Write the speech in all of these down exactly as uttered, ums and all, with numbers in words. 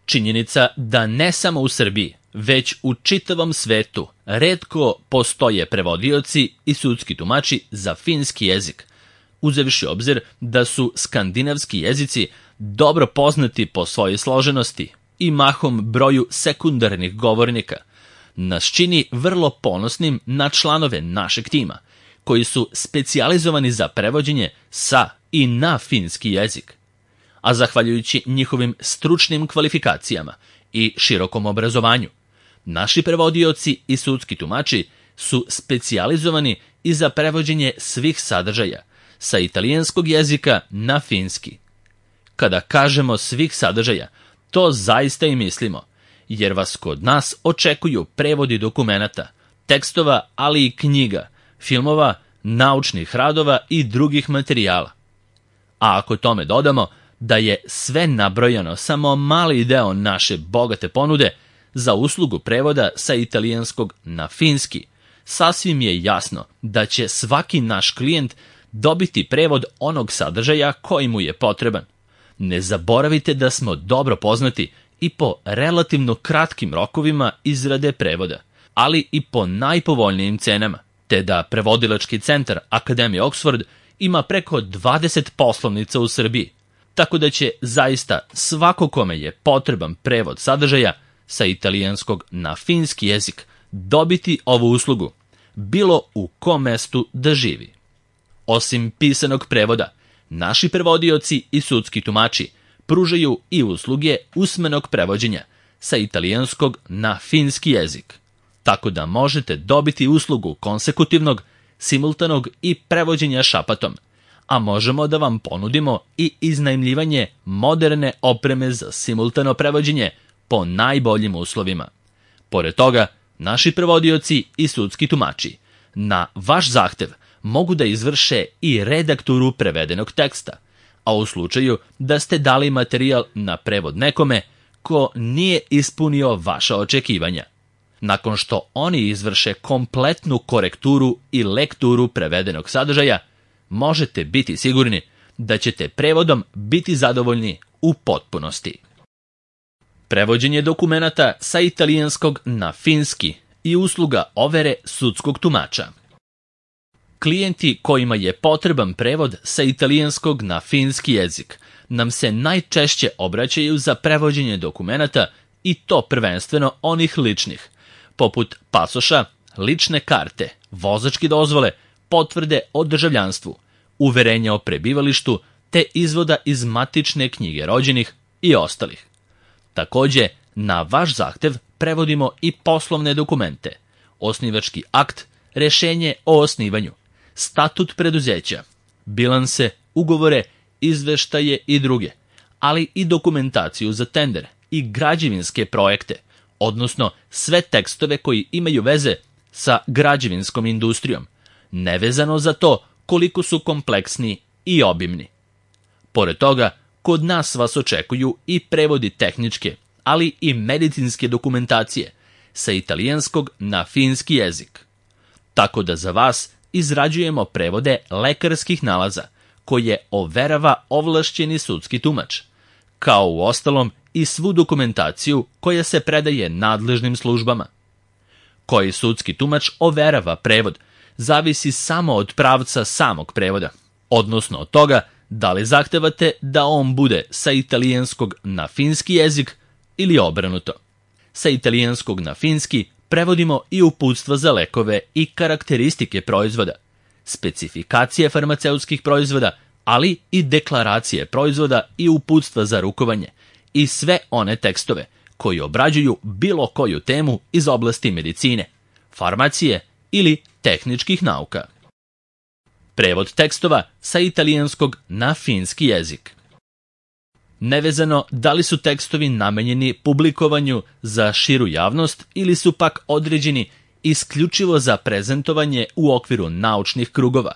Činjenica da ne samo u Srbiji, već u čitavom svetu retko postoje prevodioci i sudski tumači za finski jezik, uzevši obzir da su skandinavski jezici dobro poznati po svojoj složenosti i mahom broju sekundarnih govornika, nas čini vrlo ponosnim na članove našeg tima, koji su specijalizovani za prevođenje sa i na finski jezik. A zahvaljujući njihovim stručnim kvalifikacijama i širokom obrazovanju, naši prevodioci i sudski tumači su specijalizovani i za prevođenje svih sadržaja sa italijanskog jezika na finski. Kada kažemo svih sadržaja, to zaista i mislimo, jer vas kod nas očekuju prevodi dokumenata, tekstova, ali i knjiga, filmova, naučnih radova i drugih materijala. A ako tome dodamo da je sve nabrojano samo mali deo naše bogate ponude za uslugu prevoda sa italijanskog na finski, sasvim je jasno da će svaki naš klijent dobiti prevod onog sadržaja koji mu je potreban. Ne zaboravite da smo dobro poznati i po relativno kratkim rokovima izrade prevoda, ali i po najpovoljnijim cenama, te da prevodilački centar Akademije Oxford ima preko dvadeset poslovnica u Srbiji, tako da će zaista svako kome je potreban prevod sadržaja sa italijanskog na finski jezik dobiti ovu uslugu, bilo u kom mestu da živi. Osim pisanog prevoda, naši prevodioci i sudski tumači pružaju i usluge usmenog prevođenja sa italijanskog na finski jezik, tako da možete dobiti uslugu konsekutivnog, simultanog i prevođenja šapatom, a možemo da vam ponudimo i iznajmljivanje moderne opreme za simultano prevođenje po najboljim uslovima. Pored toga, naši prevodioci i sudski tumači na vaš zahtev mogu da izvrše i redakturu prevedenog teksta, a u slučaju da ste dali materijal na prevod nekome ko nije ispunio vaša očekivanja. Nakon što oni izvrše kompletnu korekturu i lekturu prevedenog sadržaja, možete biti sigurni da ćete prevodom biti zadovoljni u potpunosti. Prevođenje dokumenata sa italijanskog na finski i usluga overe sudskog tumača. Klijenti kojima je potreban prevod sa italijanskog na finski jezik nam se najčešće obraćaju za prevođenje dokumenata, i to prvenstveno onih ličnih, poput pasoša, lične karte, vozačke dozvole, potvrde o državljanstvu, uverenja o prebivalištu te izvoda iz matične knjige rođenih i ostalih. Takođe, na vaš zahtev prevodimo i poslovne dokumente, osnivački akt, rešenje o osnivanju, statut preduzeća, bilanse, ugovore, izveštaje i druge, ali i dokumentaciju za tender i građevinske projekte, odnosno sve tekstove koji imaju veze sa građevinskom industrijom, nevezano za to koliko su kompleksni i obimni. Pored toga, kod nas vas očekuju i prevodi tehničke, ali i medicinske dokumentacije sa italijanskog na finski jezik. Tako da za vas izrađujemo prevode lekarskih nalaza koje overava ovlašćeni sudski tumač, kao u ostalom i svu dokumentaciju koja se predaje nadležnim službama. Koji sudski tumač overava prevod zavisi samo od pravca samog prevoda, odnosno od toga da li zahtevate da on bude sa italijanskog na finski jezik ili obrnuto. Sa italijanskog na finski prevodimo i uputstva za lekove i karakteristike proizvoda, specifikacije farmaceutskih proizvoda, ali i deklaracije proizvoda i uputstva za rukovanje i sve one tekstove koji obrađuju bilo koju temu iz oblasti medicine, farmacije ili tehničkih nauka. Prevod tekstova sa italijanskog na finski jezik. Nevezano da li su tekstovi namenjeni publikovanju za širu javnost ili su pak određeni isključivo za prezentovanje u okviru naučnih krugova,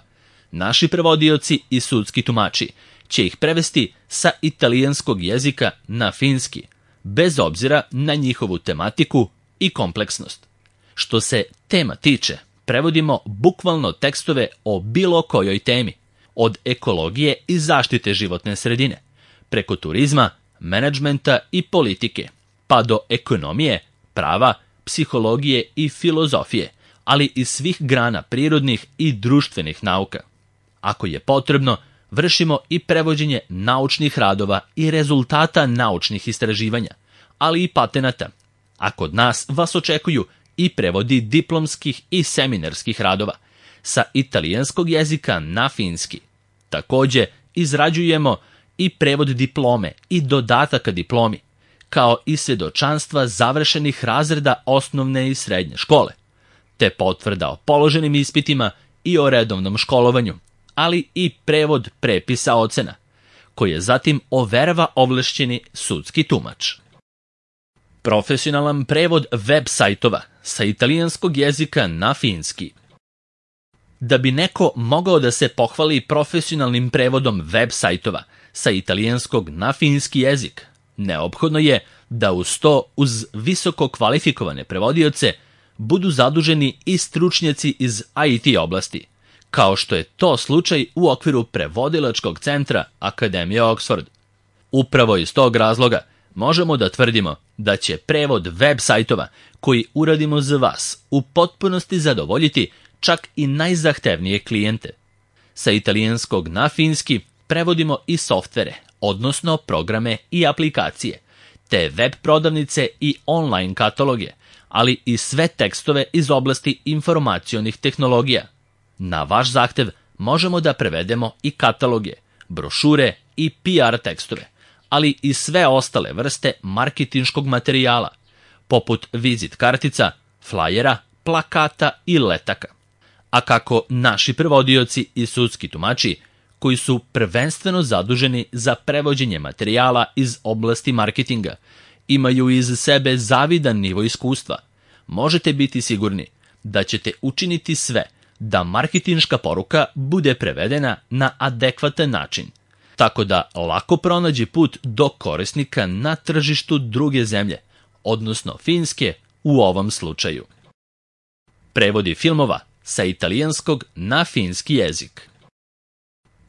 naši prevodioci i sudski tumači će ih prevesti sa italijanskog jezika na finski, bez obzira na njihovu tematiku i kompleksnost. Što se tema tiče, prevodimo bukvalno tekstove o bilo kojoj temi, od ekologije i zaštite životne sredine, preko turizma, menadžmenta i politike, pa do ekonomije, prava, psihologije i filozofije, ali i svih grana prirodnih i društvenih nauka. Ako je potrebno, vršimo i prevođenje naučnih radova i rezultata naučnih istraživanja, ali i patenata, a kod nas vas očekuju i prevodi diplomskih i seminarskih radova sa italijanskog jezika na finski. Takođe, izrađujemo i prevod diplome i dodataka diplomi, kao i svedočanstva završenih razreda osnovne i srednje škole, te potvrda o položenim ispitima i o redovnom školovanju, ali i prevod prepisa ocena, koje zatim overava ovlašćeni sudski tumač. Profesionalan prevod web sajtova sa italijanskog jezika na finski. Da bi neko mogao da se pohvali profesionalnim prevodom web sajtova sa italijanskog na finski jezik, neophodno je da uz to, uz visoko kvalifikovane prevodioce, budu zaduženi i stručnjaci iz I T oblasti, kao što je to slučaj u okviru prevodilačkog centra Akademije Oxford. Upravo iz tog razloga možemo da tvrdimo da će prevod web sajtova koji uradimo za vas u potpunosti zadovoljiti čak i najzahtevnije klijente. Sa italijanskog na finski prevodimo i softvere, odnosno programe i aplikacije, te web prodavnice i online kataloge, ali i sve tekstove iz oblasti informacionih tehnologija. Na vaš zahtev možemo da prevedemo i kataloge, brošure i P R tekstove, ali i sve ostale vrste marketinškog materijala, poput vizit kartica, flajera, plakata i letaka. A kako naši prevodioci i sudski tumači, koji su prvenstveno zaduženi za prevođenje materijala iz oblasti marketinga, imaju iz sebe zavidan nivo iskustva, možete biti sigurni da ćete učiniti sve da marketinška poruka bude prevedena na adekvatan način, tako da lako pronađe put do korisnika na tržištu druge zemlje, odnosno Finske u ovom slučaju. Prevodi filmova sa italijanskog na finski jezik.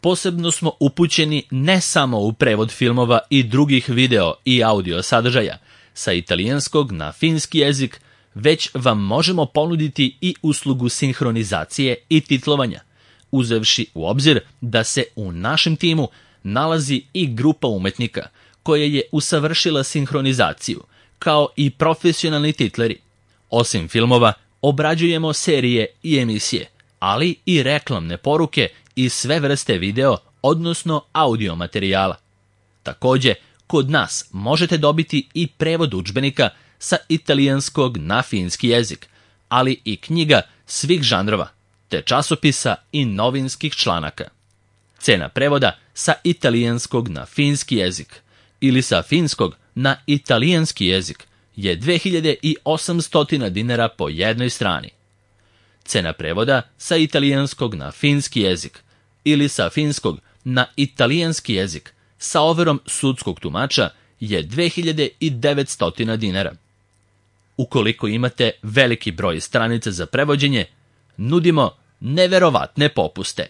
Posebno smo upućeni ne samo u prevod filmova i drugih video i audio sadržaja sa italijanskog na finski jezik, već vam možemo ponuditi i uslugu sinhronizacije i titlovanja, uzevši u obzir da se u našem timu nalazi i grupa umetnika koja je usavršila sinhronizaciju, kao i profesionalni titleri. Osim filmova, obrađujemo serije i emisije, ali i reklamne poruke i sve vrste video, odnosno audio materijala. Takođe, kod nas možete dobiti i prevod udžbenika sa italijanskog na finski jezik, ali i knjiga svih žanrova, te časopisa i novinskih članaka. Cena prevoda sa italijanskog na finski jezik ili sa finskog na italijanski jezik je dve hiljade osamsto dinara po jednoj strani. Cena prevoda sa italijanskog na finski jezik ili sa finskog na italijanski jezik sa overom sudskog tumača je dve hiljade devetsto dinara. Ukoliko imate veliki broj stranica za prevođenje, nudimo neverovatne popuste.